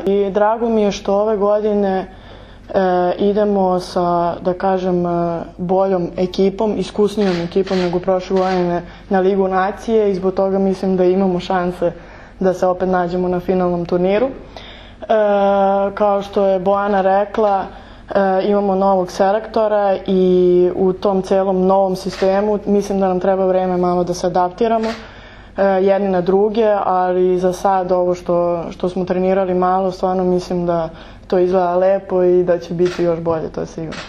I drago mi je što ove godine idemo sa, da kažem, boljom ekipom, iskusnijom ekipom nego prošle godine na Ligu nacije i zbog toga mislim da imamo šanse da se opet nađemo na finalnom turniru. Kao što je Bojana rekla, imamo novog selektora i u tom celom novom sistemu mislim da nam treba vreme malo da se adaptiramo jedni na druge, ali za sad ovo što smo trenirali malo, stvarno mislim da to izgleda lepo i da će biti još bolje, to je sigurno.